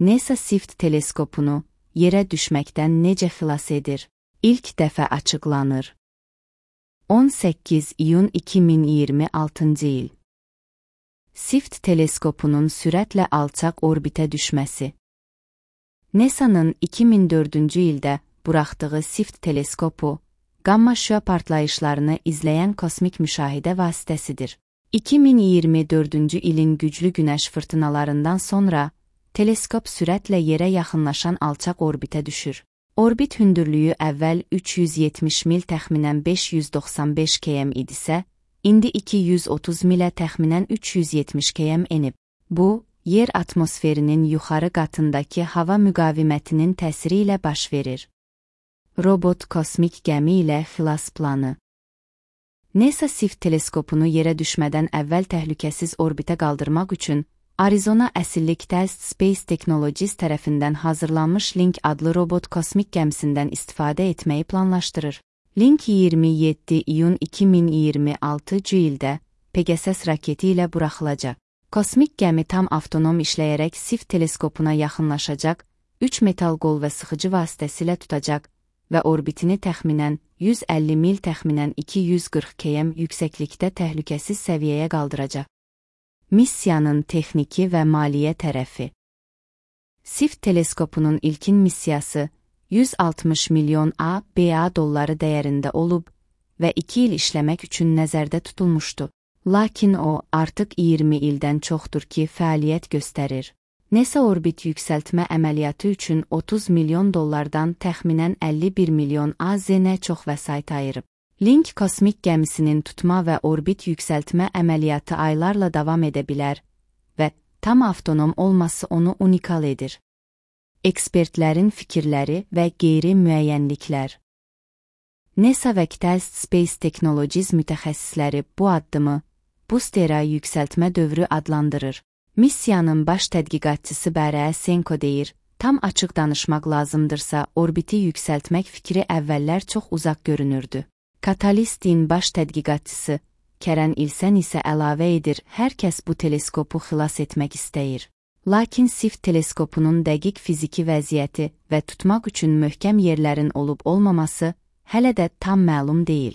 NASA SIFT teleskopunu yerə düşməkdən necə xilas edir? İlk dəfə açıqlanır. 18 iyun 2026 il. SIFT teleskopunun sürətlə alçaq orbitə düşməsi. NASA'nın 2004-cü ildə buraxdığı SIFT teleskopu, qamma şüa partlayışlarını izləyən kosmik müşahidə vasitəsidir. 2024-cü ilin güclü günəş fırtınalarından sonra, teleskop sürətlə yerə yaxınlaşan alçaq orbitə düşür. Orbit hündürlüyü əvvəl 370 mil təxminən 595 km idisə, indi 230 milə təxminən 370 km enib. Bu, yer atmosferinin yuxarı qatındakı hava müqavimətinin təsiri ilə baş verir. Robot kosmik gəmi ilə xilas planı. NASA SIFT teleskopunu yerə düşmədən əvvəl təhlükəsiz orbitə qaldırmaq üçün Arizona əsilli Test Space Technologies tərəfindən hazırlanmış Link adlı robot kosmik gəmisindən istifadə etməyi planlaşdırır. Link 27 iyun 2026 ildə Pegasus raketi ilə buraxılacaq. Kosmik gəmi tam avtonom işləyərək SIFT teleskopuna yaxınlaşacaq, 3 metal qol və sıxıcı vasitəsilə tutacaq və orbitini təxminən 150 mil təxminən 240 km yüksəklikdə təhlükəsiz səviyyəyə qaldıracaq. Missiyanın texniki və maliyyə tərəfi. SIFT teleskopunun ilkin missiyası 160 milyon ABA dolları dəyərində olub və 2 il işləmək üçün nəzərdə tutulmuşdu. Lakin o, artıq 20 ildən çoxdur ki, fəaliyyət göstərir. NASA orbit yüksəltmə əməliyyatı üçün 30 milyon dollardan təxminən 51 milyon AZ-nə çox vəsait ayırıb. Link kosmik gəmisinin tutma və orbit yüksəltmə əməliyyatı aylarla davam edə bilər və tam avtonom olması onu unikal edir. Ekspertlərin fikirləri və qeyri-müəyyənliklər. NASA və Test Space Technologies mütəxəssisləri bu addımı Booster'a yüksəltmə dövrü adlandırır. Missiyanın baş tədqiqatçısı Barry Senko deyir, tam açıq danışmaq lazımdırsa, orbiti yüksəltmək fikri əvvəllər çox uzaq görünürdü. Catalyst'in baş tədqiqatçısı Karen İlsen isə əlavə edir, hər kəs bu teleskopu xilas etmək istəyir. Lakin SIFT teleskopunun dəqiq fiziki vəziyyəti və tutmaq üçün möhkəm yerlərin olub-olmaması hələ də tam məlum deyil.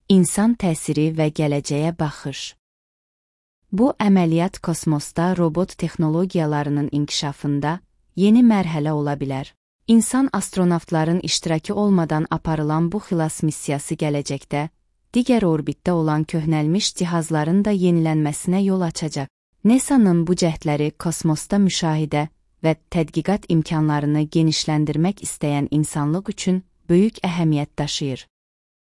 İnsan təsiri və gələcəyə baxış. Bu əməliyyat kosmosda robot texnologiyalarının inkişafında yeni mərhələ ola bilər. İnsan astronavtların iştirakı olmadan aparılan bu xilas missiyası gələcəkdə, digər orbitdə olan köhnəlmiş cihazların da yenilənməsinə yol açacaq. NASA'nın bu cəhdləri kosmosda müşahidə və tədqiqat imkanlarını genişləndirmək istəyən insanlıq üçün böyük əhəmiyyət daşıyır.